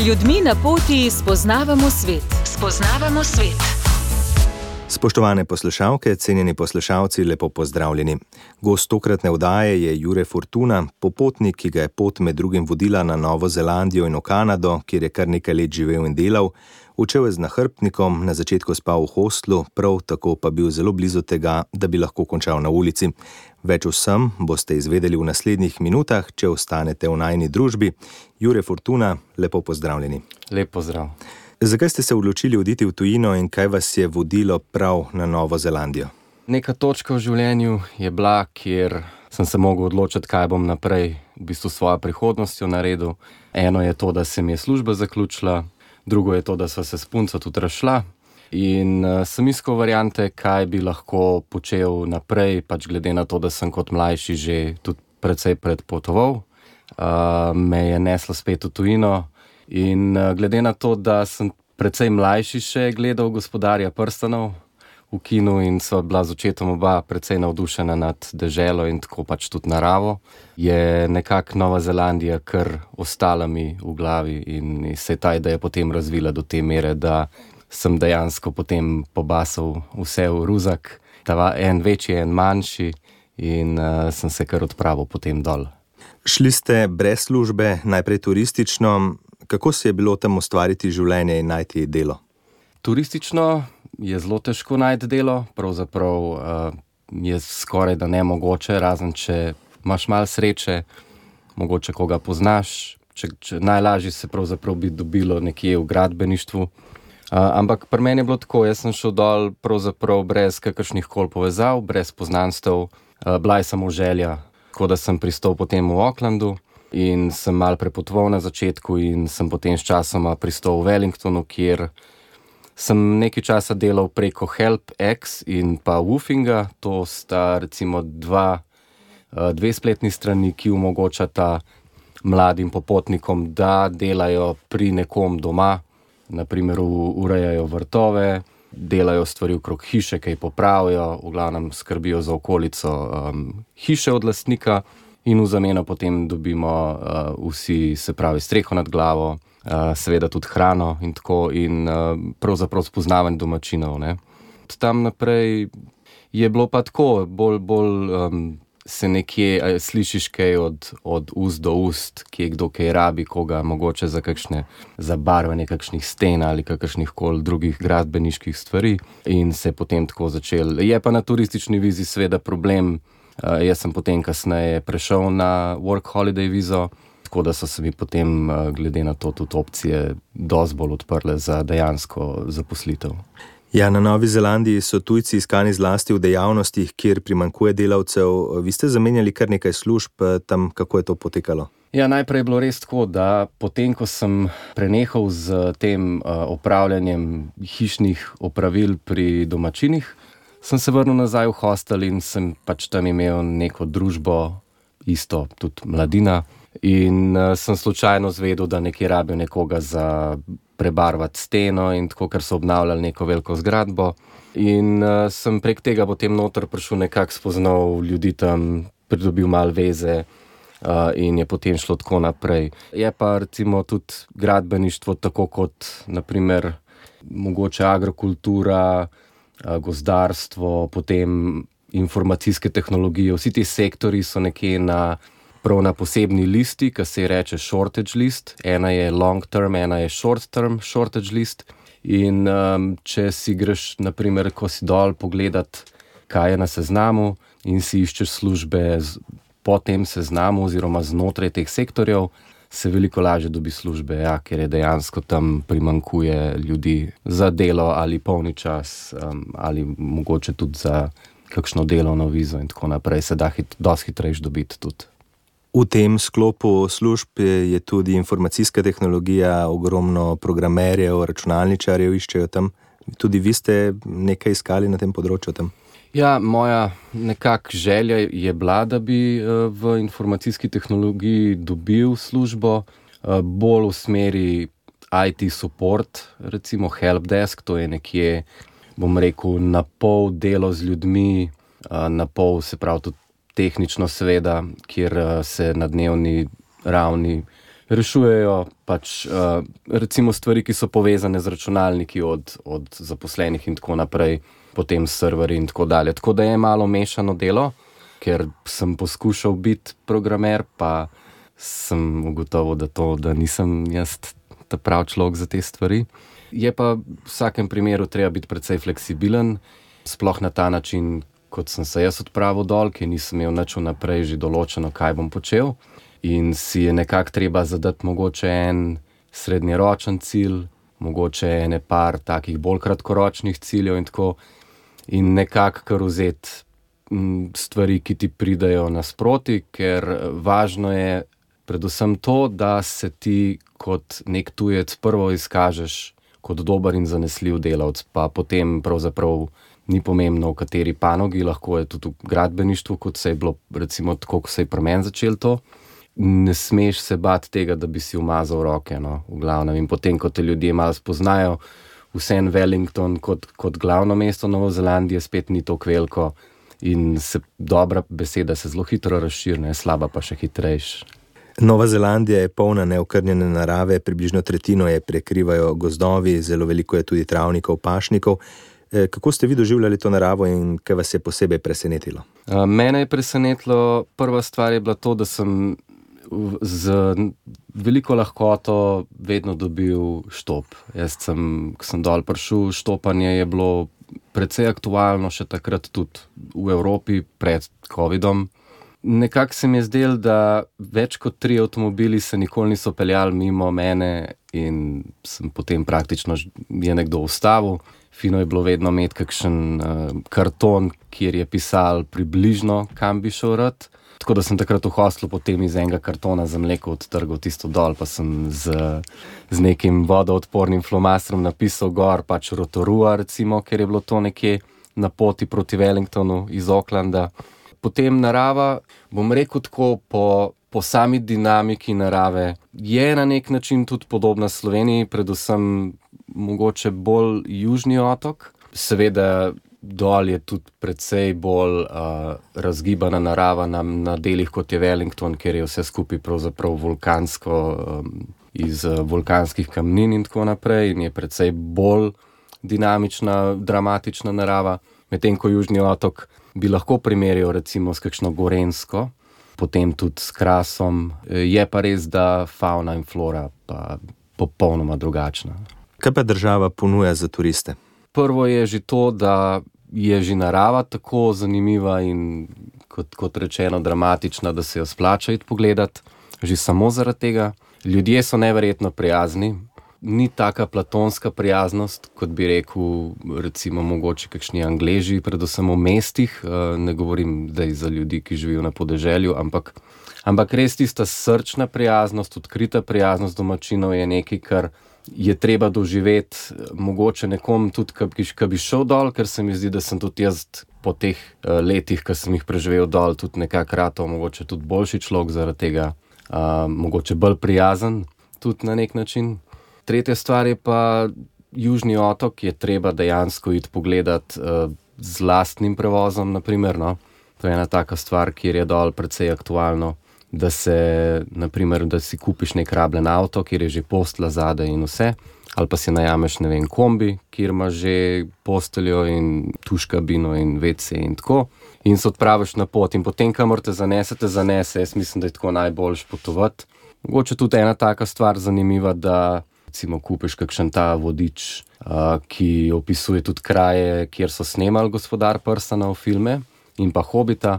ljudmi na poti spoznavamo svet. Spoznavamo svet. Spoštovane poslušalke, cenjeni poslušalci, lepo pozdravljeni. Gost tokratne oddaje je Jure Fortuna, popotnik, ki ga je pot med drugim vodila na Novo Zelandijo in v Kanado, kjer je kar nekaj let živel in delal. Učil je z nahrbtnikom, na začetku spal v hostlu, prav tako pa bil zelo blizu tega, da bi lahko končal na ulici. Več vsem boste izvedeli v naslednjih minutah, če ostanete v najini družbi. Jure Fortuna, lepo pozdravljeni. Lep pozdrav. Zakaj ste se odločili oditi v tujino in kaj vas je vodilo prav na Novo Zelandijo? Neka točka v življenju je bila, kjer sem se mogel odločiti, kaj bom naprej v bistvu svojo prihodnostjo naredil. Eno je to, da se mi je služba zaključila, drugo je to, da sva se s punco tudi razšla. In sem iskal variante, kaj bi lahko počel naprej, pač glede na to, da sem kot mlajši že tudi precej predpotoval. Me je neslo spet v tujino. In glede na to, da sem precej mlajši še gledal Gospodarja prstanov v kinu in sva bila z očetom oba precej navdušena nad deželo in tako pač tudi naravo, je nekako Nova Zelandija kar ostala mi v glavi in se je ta ideja potem razvila do te mere, da sem dejansko potem pobasal vse v ruzak, en večji, en manjši in sem se kar odpravil potem dol. Šli ste brez službe, najprej turistično. Kako se je bilo tam ustvariti življenje in najti delo? Turistično je zelo težko najti delo, pravzaprav je skoraj da nemogoče, razen če imaš malo sreče, mogoče koga poznaš, najlažje se pravzaprav bi dobilo nekje v gradbeništvu. Ampak pri meni je bilo tako, jaz sem šel dol pravzaprav brez kakršnih koli povezav, brez poznanstev, bila je samo želja, tako da sem pristal potem v Aucklandu. In sem malo prepotoval na začetku in sem potem s časoma pristal v Wellingtonu, kjer sem nekaj časa delal preko HelpX in pa Woofinga. To sta recimo dve spletni strani, ki omogočata mladim popotnikom, da delajo pri nekom doma, naprimer urejajo vrtove, delajo stvari okrog hiše, kaj popravijo, v glavnem skrbijo za okolico hiše od lastnika. In v zameno potem dobimo vsi, se pravi, streho nad glavo, seveda tudi hrano in tako in pravzaprav spoznavanje domačinov, ne. Tam naprej je bilo pa tako, bolj se nekje slišiš kaj od ust do ust, kje kdo kaj rabi, koga mogoče za kakšne zabarvanje kakšnih sten ali kakršnih koli drugih gradbeniških stvari in se je potem tako začel. Je pa na turistični vizi seveda problem. Jaz sem potem kasneje prešel na work holiday vizo, tako da so se mi potem glede na to tudi opcije dosti bolj odprle za dejansko zaposlitev. Ja, na Novi Zelandiji so tujci iskani zlasti v dejavnostih, kjer primanjkuje delavcev. Vi ste zamenjali kar nekaj služb tam, kako je to potekalo? Ja, najprej je bilo res tako, da potem, ko sem prenehal z tem opravljanjem hišnih opravil pri domačinih, sem se vrnil nazaj v hostel in sem pač tam imel neko družbo, isto tudi mladina. In sem slučajno zvedel, da nekje rabijo nekoga za prebarvati steno in tako, ker so obnavljali neko veliko zgradbo. In sem prek tega potem noter prišel nekako spoznal ljudi tam, pridobil malo veze in je potem šlo tako naprej. Je pa recimo tudi gradbeništvo tako kot naprimer mogoče agrokultura, gozdarstvo, potem informacijske tehnologije. Vsi ti sektori so nekje prav na posebni listi, ki se reče shortage list. Ena je long term, ena je short term shortage list. In če si greš, naprimer, ko si dol pogledat, kaj je na seznamu in si iščeš službe po tem seznamu oziroma znotraj teh sektorjev, se veliko lažje dobi službe, ja, ker je dejansko tam primanjkuje ljudi za delo ali polni čas ali mogoče tudi za kakšno delovno vizo in tako naprej. Se da dosti hitrejš dobiti tudi. V tem sklopu služb je tudi informacijska tehnologija, ogromno programerjev, računalničarjev iščejo tam. Tudi vi ste nekaj iskali na tem področju tam? Ja, moja nekak želja je bila, da bi v informacijski tehnologiji dobil službo, bolj v smeri IT support, recimo helpdesk, to je nekje, bom rekel, na pol delo z ljudmi, na pol se pravi tudi tehnično seveda, kjer se na dnevni ravni rešujejo pač recimo stvari, ki so povezane z računalniki od zaposlenih in tako naprej, potem serverji in tako dalje. Tako da je malo mešano delo, ker sem poskušal biti programer, pa sem ugotovil, da nisem jaz ta prav človek za te stvari. Je pa v vsakem primeru treba biti precej fleksibilen, sploh na ta način, kot sem se jaz odpravil dol, ki nisem imel nič vnaprej že določeno, kaj bom počel. In si je nekako treba zadati mogoče en srednjeročen cilj, mogoče ene par takih bolj kratkoročnih ciljev in tako. In nekako kar vzeti stvari, ki ti pridajo nasproti, ker važno je predvsem to, da se ti kot nek tujec prvo izkažeš kot dober in zanesljiv delavec, pa potem pravzaprav ni pomembno, v kateri panogi, lahko je tudi v gradbeništvu, kot se je bilo recimo tako, ko se je pri meni začelo to. Ne smeš se bati tega, da bi si umazal roke, no, v glavnem. In potem, ko te ljudje malo spoznajo, vseeno Wellington kot glavno mesto Nove Zelandije spet ni tako veliko in dobra beseda se zelo hitro razširi, slaba pa še hitrejš. Nova Zelandija je polna neokrnjene narave, približno tretjino je prekrivajo gozdovi, zelo veliko je tudi travnikov, pašnikov. Kako ste vi doživljali to naravo in kaj vas je posebej presenetilo? Mene je presenetilo, prva stvar je bila to, da sem z veliko lahkoto vedno dobil štop. Ko sem dol prišel, štopanje je bilo precej aktualno še takrat tudi v Evropi pred covidom. Nekako se mi je zdelo, da več kot 3 avtomobili se nikoli niso peljali mimo mene in sem potem praktično je nekdo ustavil. Fino je bilo vedno imeti kakšen karton, kjer je pisal približno, kam bi šel rad. Tako da sem takrat v hostlu potem iz enega kartona za mleko odtrgal tisto dol, pa sem z nekim vodoodpornim flomastrom napisal gor pač Rotorua, recimo, ker je bilo to nekje na poti proti Wellingtonu iz Aucklanda. Potem narava, bom rekel tako, po sami dinamiki narave je na nek način tudi podobna Sloveniji, predvsem mogoče bolj južni otok. Seveda dol je tudi precej bolj razgibana narava na delih, kot je Wellington, ker je vse skupaj pravzaprav vulkansko, iz vulkanskih kamnin in tako naprej in je precej bolj dinamična, dramatična narava. Medtem ko južni otok bi lahko primerjal recimo s kakšno Gorenjsko, potem tudi s Krasom. Je pa res, da fauna in flora pa popolnoma drugačna. Kaj pa država ponuja za turiste? Prvo je že to, da je že narava tako zanimiva in kot rečeno dramatična, da se jo splača iti pogledati. Že samo zaradi tega. Ljudje so neverjetno prijazni. Ni taka platonska prijaznost, kot bi rekel recimo mogoče kakšni Angleži, predvsem v mestih. Ne govorim zdaj za ljudi, ki živijo na podeželju, ampak res tista srčna prijaznost, odkrita prijaznost domačinov je nekaj, kar je treba doživeti mogoče nekom tudi, ki bi šel dol, ker se mi zdi, da sem tudi jaz po teh letih, ki sem jih preživel dol, tudi nekako ratov, mogoče tudi boljši človek zaradi tega, mogoče bolj prijazen tudi na nek način. Tretja stvar je pa južni otok, je treba dejansko iti pogledati z lastnim prevozom, naprimer, no. To je ena taka stvar, kjer je dol precej aktualno, da si kupiš nek rabljen avto, kjer je že postelja zadaj in vse, ali pa si najameš, ne vem, kombi, kjer imaš že posteljo in tuš kabino in WC in tako, in se odpraviš na pot in potem, kamor te zanese, jaz mislim, da je tako najboljš potovati. Mogoče tudi ena taka stvar zanimiva, da recimo kupiš kakšen ta vodič, ki opisuje tudi kraje, kjer so snemali Gospodar prstanov filme in pa Hobita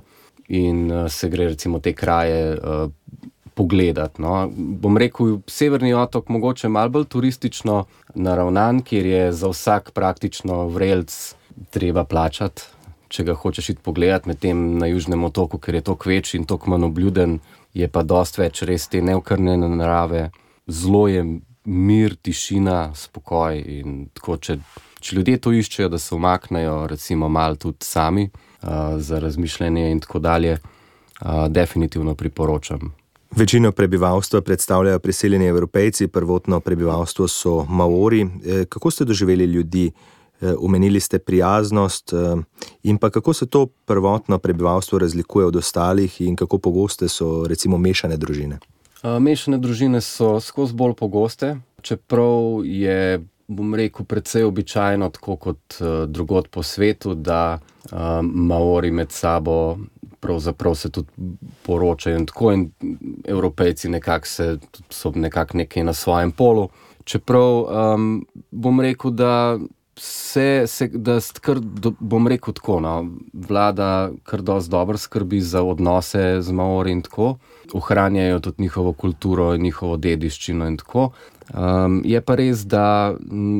in se gre recimo te kraje pogledati, no. Bom rekel, severni otok mogoče malo bolj turistično naravnan, kjer je za vsak praktično vrelc treba plačati, če ga hočeš iti pogledati, medtem na južnem otoku, ker je toliko večji in toliko manj obljuden, je pa dosti več res te neokrnjene narave. Zelo je mir, tišina, spokoj in tako, če ljudje to iščejo, da se umaknejo recimo malo tudi sami za razmišljanje in tako dalje, definitivno priporočam. Večino prebivalstva predstavljajo priseljeni Evropejci, prvotno prebivalstvo so Maori. Kako ste doživeli ljudi? Omenili ste prijaznost in pa kako se to prvotno prebivalstvo razlikuje od ostalih in kako pogoste so recimo mešane družine? Mešane družine so skozi bolj pogoste, čeprav je, bom rekel, precej običajno, tako kot drugod po svetu, da Maori med sabo pravzaprav se tudi poročajo in tako, in Evropejci so nekako nekaj na svojem polu. Čeprav bom rekel, da bom rekel tako, no, vlada kar dosti dobro skrbi za odnose z Maori in tako, ohranjajo tudi njihovo kulturo in njihovo dediščino in tako. Je pa res, da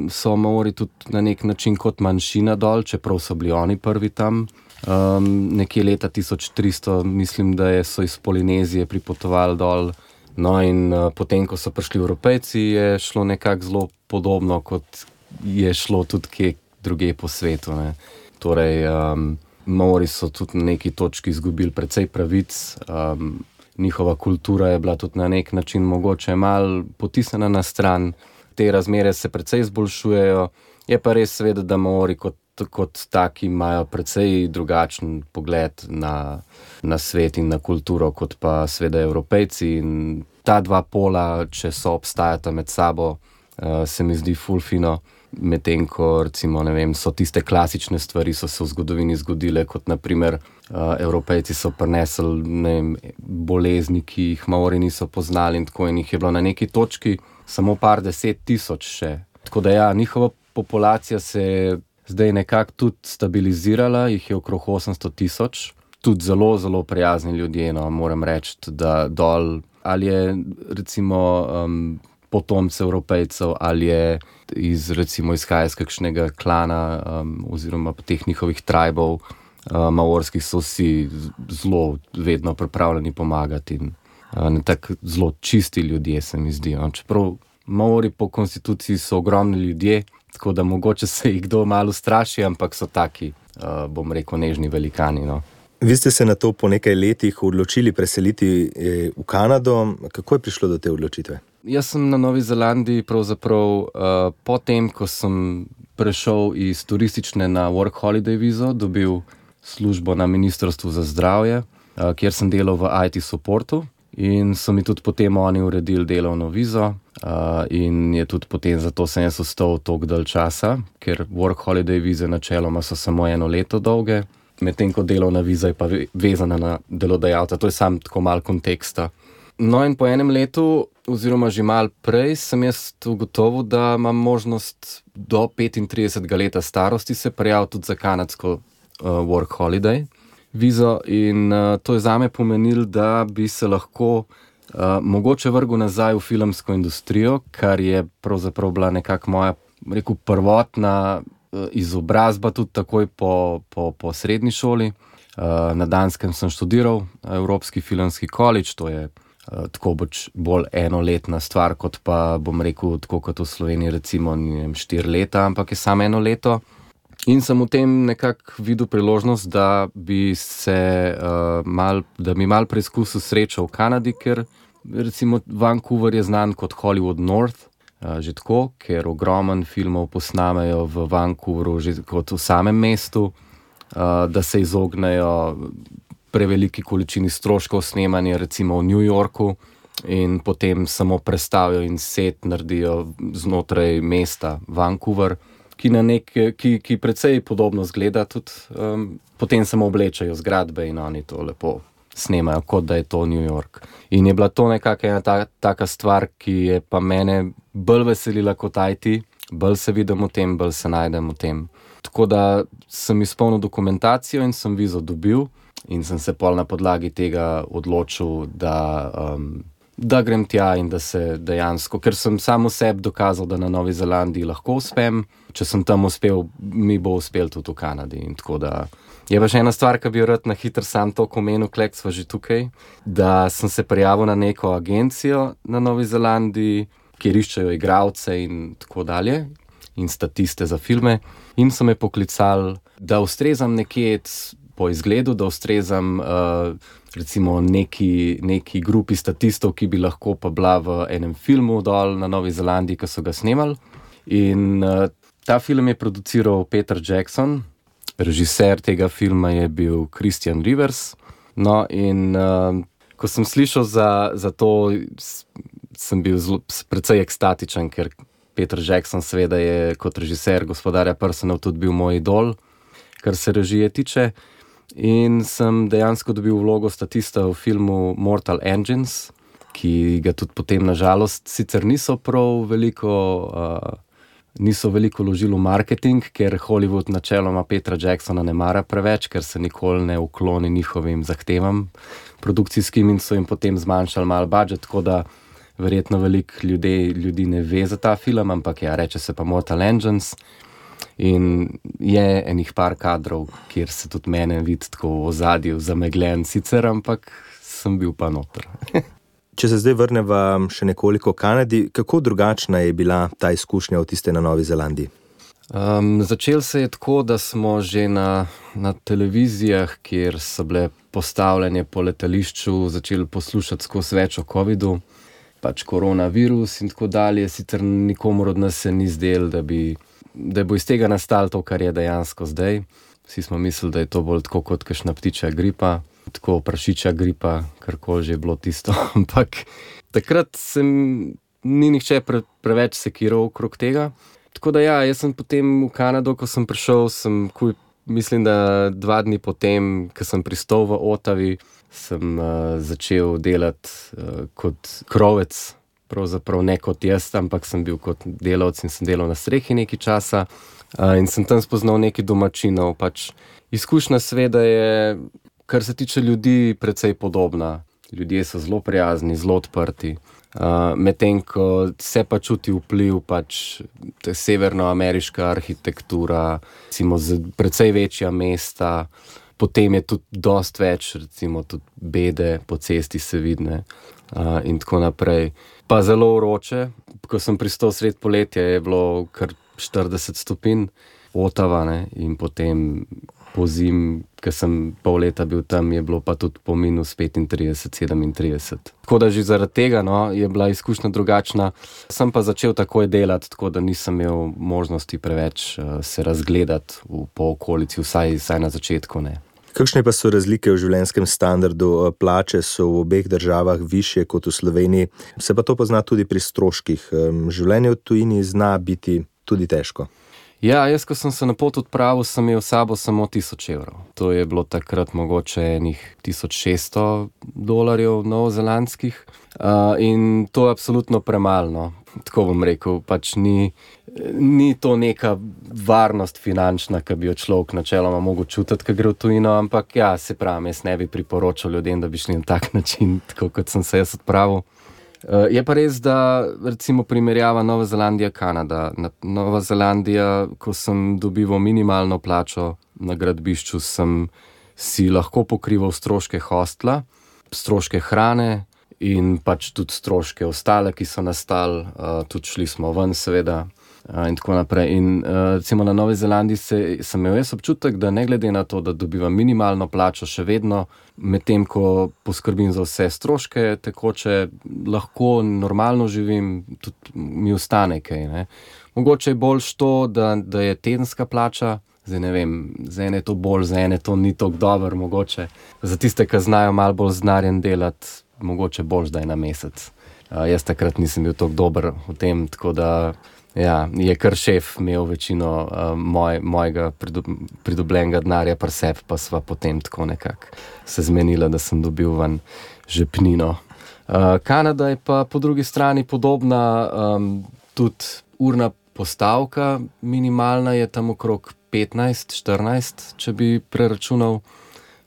so Maori tudi na nek način kot manjšina dol, čeprav so bili oni prvi tam. Nekje leta 1300, mislim, da so iz Polinezije pripotovali dol. No, in potem, ko so prišli Evropejci, je šlo nekako zelo podobno, kot je šlo tudi kje drugje po svetu, ne. Torej, Maori so tudi na neki točki izgubili precej pravic, njihova kultura je bila tudi na nek način mogoče malo potisnjena na stran, te razmere se precej izboljšujejo, je pa res seveda, da Maori kot taki imajo precej drugačen pogled na svet in na kulturo, kot pa seveda Evropejci, in ta dva pola, če so obstajata med sabo, se mi zdi ful fino, medtem ko recimo, ne vem, so tiste klasične stvari so se v zgodovini zgodile, kot na primer Evropejci so prinesli, ne vem, bolezni, ki jih Maori niso poznali in tako, in jih je bilo na neki točki samo par 10,000 še. Tako da ja, njihova populacija se je zdaj nekako tudi stabilizirala, jih je okrog 800,000, tudi zelo, zelo prijazni ljudje, no, moram reči, da dol, ali je recimo potomce Evropejcev, ali je recimo izhaja iz kakšnega klana oziroma teh njihovih tribov maorskih, so vsi zelo vedno pripravljeni pomagati in tako zelo čisti ljudje, se mi zdi. Čeprav Maori po konstituciji so ogromni ljudje, tako da mogoče se jih kdo malo straši, ampak so taki, bom rekel, nežni velikani, no. Vi ste se na to po nekaj letih odločili preseliti v Kanado. Kako je prišlo do te odločitve? Jaz sem na Novi Zelandiji pravzaprav potem, ko sem prešel iz turistične na work holiday vizo, dobil službo na Ministrstvu za zdravje, kjer sem delal v IT supportu, in so mi tudi potem oni uredili delovno vizo, in je tudi potem zato sem jaz ostal toliko dalj časa, ker work holiday vize načeloma so samo 1 leto dolge, medtem ko delovna viza je pa vezana na delodajalca. To je samo tako malo konteksta. No, in po 1 letu, oziroma že malo prej, sem jaz ugotovil, da imam možnost do 35 leta starosti se prijaviti tudi za kanadsko work holiday vizo, in to je zame pomenilo, da bi se lahko mogoče vrgel nazaj v filmsko industrijo, kar je pravzaprav bila nekako moja, rekel, prvotna izobrazba tudi takoj po srednji šoli. Na Danskem sem študiral Evropski filmski college, to je tako bolj enoletna stvar, kot pa, bom rekel, tako kot v Sloveniji recimo, 4 leta, ampak je samo 1 leto. In sem v tem nekako videl priložnost, da bi mal preizkusil srečo v Kanadi, ker recimo Vancouver je znan kot Hollywood North, že tako, ker ogromen filmov posnamejo v Vancouveru že kot v samem mestu, da se izognejo preveliki količini stroškov snemanja recimo v New Yorku in potem samo prestavijo in set naredijo znotraj mesta Vancouver, ki precej podobno zgleda tudi, potem samo oblečajo zgradbe in oni to lepo snemajo, kot da je to New York. In je bila to nekako ena taka stvar, ki je pa mene bolj veselila kot IT, bolj se vidim v tem, bolj se najdem v tem. Tako da sem izpolnil dokumentacijo in sem vizo dobil in sem se pol na podlagi tega odločil, da grem tja in da se dejansko, ker sem sam v sebi dokazal, da na Novi Zelandiji lahko uspem, če sem tam uspel, mi bo uspel tudi v Kanadi. In tako da je pa še ena stvar, ki bi jo rad na hitro sam to omenil, klek sva že tukaj, da sem se prijavil na neko agencijo na Novi Zelandiji, kjer iščejo igralce in tako dalje, in statiste za filme, in so me poklicali, da ustrezam nekje po izgledu, da ustrezam recimo neki grupi statistov, ki bi lahko pa bila v enem filmu dol na Novi Zelandiji, ki so ga snemali. In ta film je produciral Peter Jackson, režiser tega filma je bil Christian Rivers. No, in Ko sem slišal za to, sem bil precej ekstatičen, ker Peter Jackson seveda je kot režiser Gospodarja prstanov tudi bil moj idol, kar se režije tiče. In sem dejansko dobil vlogo statista v filmu Mortal Engines, ki ga tudi potem nažalost sicer niso veliko vložili v marketing, ker Hollywood načeloma Petra Jacksona ne mara preveč, ker se nikoli ne ukloni njihovim zahtevam produkcijskim in so jim potem zmanjšali malo budžet, tako da verjetno veliko ljudi ne ve za ta film, ampak ja, reče se pa Mortal Engines. In je enih par kadrov, kjer se tudi mene vidi tako v ozadju zamegljen sicer, ampak sem bil pa noter. Če se zdaj vrneva še nekoliko Kanadi, kako drugačna je bila ta izkušnja od tiste na Novi Zelandiji? Začel se je tako, da smo že na televizijah, kjer so bile postavljene po letališču, začeli poslušati skozi več o covidu, pač koronavirus in tako dalje. Sicer nikomur od nas se ni zdelo, da bo iz tega nastalo to, kar je dejansko zdaj. Vsi smo mislili, da je to bolj tako kot kakšna ptičja gripa, tako prašičja gripa, karkoli že je bilo tisto. Ampak takrat ni nihče preveč sekiral okrog tega. Tako da ja, jaz sem potem v Kanado, ko sem prišel, mislim, da 2 dni potem, ko sem pristal v Ottawi, sem začel delati kot krovec, pravzaprav ne kot jaz, ampak sem bil kot delavec in sem delal na strehi nekaj časa in sem tam spoznal nekaj domačinov. Pač izkušnja seveda je, kar se tiče ljudi, precej podobna. Ljudje so zelo prijazni, zelo odprti. Medtem ko se pa čuti vpliv pač severnoameriška arhitektura, recimo precej večja mesta, potem je tudi dosti več, recimo tudi bede po cesti se vidne in tako naprej. Pa zelo vroče, ko sem pristal sred poletja, je bilo kar 40 stopinj Ottawa, ne, in potem po zim, ko sem pol leta bil tam, je bilo pa tudi po minus 35, 37. Tako da že zaradi tega je bila izkušnja drugačna. Sem pa začel takoj delati, tako da nisem imel možnosti preveč se razgledati po okolici, vsaj na začetku ne. Kakšne pa so razlike v življenjskem standardu? Plače so v obeh državah višje kot v Sloveniji, se pa to pozna tudi pri stroških. Življenje v tujini zna biti tudi težko. Ja, jaz, ko sem se na pot odpravil, sem imel sabo samo 1000 evrov. To je bilo takrat mogoče enih $1600 novozelandskih in to je absolutno premalo. Tako bom rekel, pač ni to neka varnost finančna, ki bi jo človek načeloma mogel čutiti, ko gre v tujino, ampak ja, se pravi, jaz ne bi priporočal ljudem, da bi šli na tak način, tako kot sem se jaz odpravil. Je pa res, da recimo primerjava Nova Zelandija-Kanada. Nova Zelandija, ko sem dobival minimalno plačo na gradbišču, sem si lahko pokrival stroške hostla, stroške hrane in pač tudi stroške ostale, ki so nastali, tudi šli smo ven seveda in tako naprej. In recimo na Novi Zelandiji sem imel jaz občutek, da ne glede na to, da dobivam minimalno plačo, še vedno medtem, ko poskrbim za vse stroške tekoče, lahko normalno živim, tudi mi ostane kaj, ne. Mogoče je boljš to, da je tedenska plača, zdaj ne vem, za ene je to bolj, za ene to ni tako dobro mogoče. Za tiste, ki znajo malo bolj znarjen delati, mogoče boljš, da je na mesec. Jaz takrat nisem bil tako dober v tem, tako da ja, je kar šef imel večino mojega pridobljenega denarja pri sebi, pa sva potem tako nekako se zmenila, da sem dobil ven žepnino. Kanada je pa po drugi strani podobna, tudi urna postavka minimalna je tam okrog 15-14, če bi preračunal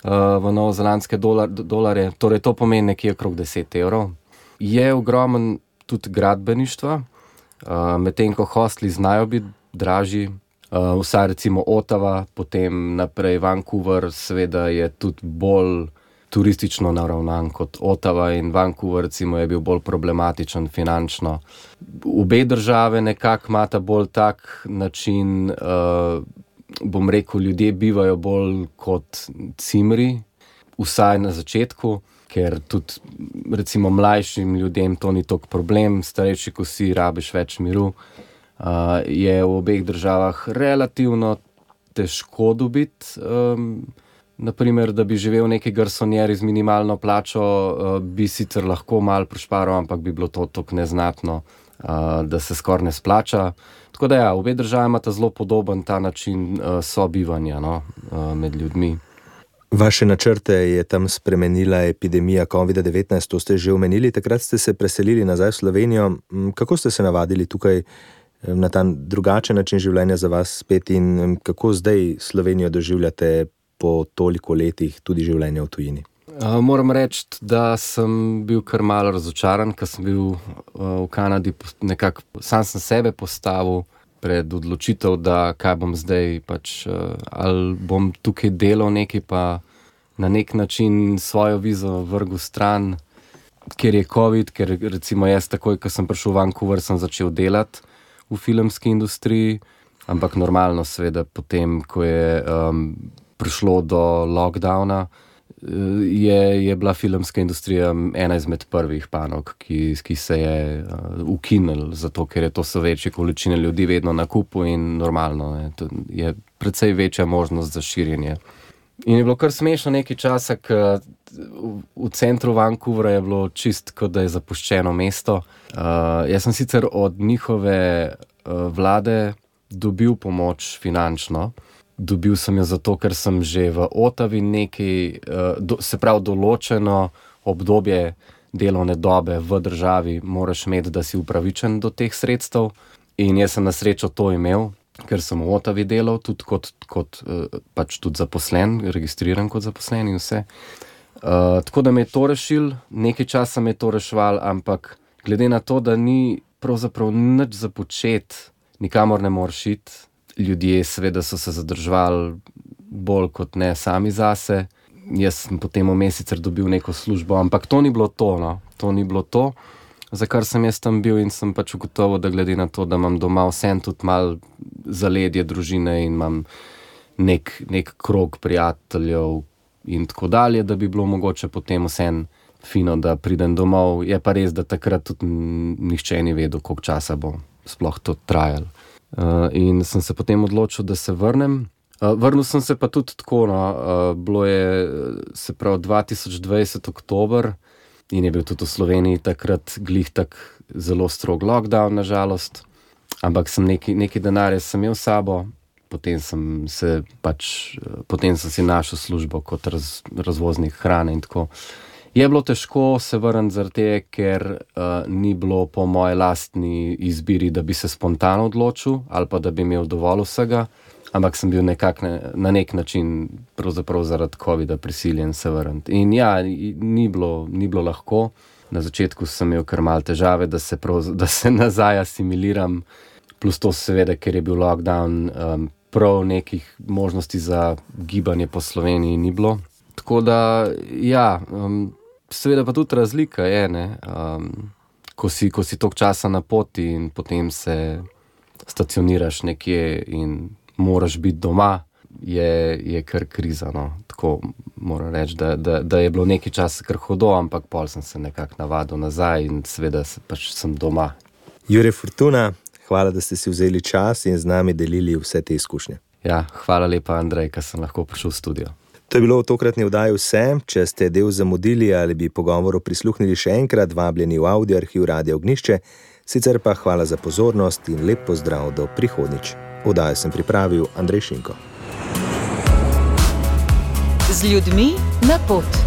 v novozelandske dolarje, torej to pomeni nekje okrog 10 evrov. Je ogromen tudi gradbeništva, medtem ko hostli znajo biti dražji, vsaj recimo Ottawa, potem naprej Vancouver, seveda je tudi bolj turistično naravnan kot Ottawa in Vancouver recimo je bil bolj problematičen finančno. Obe države nekako imata bolj tak način, bom rekel, ljudje bivajo bolj kot cimri, vsaj na začetku, ker tudi recimo mlajšim ljudem to ni toliko problem, starejši, ko si rabiš več miru, je v obeh državah relativno težko dobiti naprimer, da bi živel neki garsonjeri z minimalno plačo, bi sicer lahko malo prišparal, ampak bi bilo to tako neznatno, da se skoraj ne splača. Tako da ja, obe državi imata zelo podoben ta način sobivanja, no, med ljudmi. Vaše načrte je tam spremenila epidemija COVID-19, to ste že omenili, takrat ste se preselili nazaj v Slovenijo. Kako ste se navadili tukaj na ta drugačen način življenja za vas spet in kako zdaj Slovenijo doživljate po toliko letih tudi življenja v tujini? Moram reči, da sem bil kar malo razočaran, ker sem bil v Kanadi nekako, sam sem sebe postavil pred odločitev, da kaj bom zdaj, pač ali bom tukaj delal nekaj, pa na nek način svojo vizo vrgel stran, ker je COVID, ker recimo jaz takoj, ko sem prišel v Vancouver, sem začel delati v filmski industriji, ampak normalno seveda potem, ko je prišlo do lockdowna, je bila filmska industrija ena izmed prvih panog, ki se je ukinil, zato ker je to so večje količine ljudi vedno na kupu in normalno, je precej večja možnost za širjenje. In je bilo kar smešno nekaj časa, ker v centru Vancouvra je bilo čist, kot da je zapuščeno mesto. Jaz sem sicer od njihove vlade dobil pomoč finančno. Dobil sem jo zato, ker sem že v Ottawi nekaj, se pravi določeno obdobje delovne dobe v državi moraš imeti, da si upravičen do teh sredstev. In jaz sem na srečo to imel, ker sem v Ottawi delal, tudi kot pač tudi zaposlen, registriran kot zaposlen in vse. Tako da me je to rešil, nekaj časa me je to reševal, ampak glede na to, da ni pravzaprav nič za početi, nikamor ne moreš iti, ljudje seveda so se zadrževali bolj kot ne sami zase. Jaz sem potem vmes sicer dobil neko službo, ampak to ni bilo to, no. To ni bilo to, za kar sem jaz tam bil in sem pač ugotovil, da glede na to, da imam doma vsem tudi malo zaledje družine in imam nek krog prijateljev in tako dalje, da bi bilo mogoče potem vsem fino, da pridem domov. Je pa res, da takrat tudi nihče ni vedel, koliko časa bo sploh to trajalo. In sem se potem odločil, da se vrnem. Vrnil sem se pa tudi tako, no, bilo je, se pravi, 2020 oktober in je bil tudi v Sloveniji takrat glih tak zelo strog lockdown, nažalost, ampak sem neki denarje sem imel s sabo, potem sem si našel službo kot razvoznik hrane in tako. Je bilo težko se vrniti zaradi tega, ker ni bilo po moji lastni izbiri, da bi se spontano odločil ali pa da bi imel dovolj vsega, ampak sem bil na nek način pravzaprav zaradi covida prisiljen se vrniti. In ja, ni bilo lahko. Na začetku sem imel kar malo težave, da se nazaj asimiliram, plus to seveda, ker je bil lockdown, prav nekih možnosti za gibanje po Sloveniji ni bilo. Tako da, ja, seveda pa tudi razlika je, ne, ko si toliko časa na poti in potem se stacioniraš nekje in moraš biti doma, je kar kriza, no. Tako moram reči, da je bilo nekaj časa kar hudo, ampak pol sem se nekako navadil nazaj in seveda pač sem doma. Jure Fortuna, hvala, da ste si vzeli čas in z nami delili vse te izkušnje. Ja, hvala lepa, Andrej, ker sem lahko prišel v studio. To je bilo v tokratni oddaji vse. Če ste del zamudili ali bi pogovoru prisluhnili še enkrat, vabljeni v audio arhiv Radia Ognjišče. Sicer pa hvala za pozornost in lep pozdrav do prihodnjič. Oddajo sem pripravil Andrej Šinko. Z ljudmi na pot.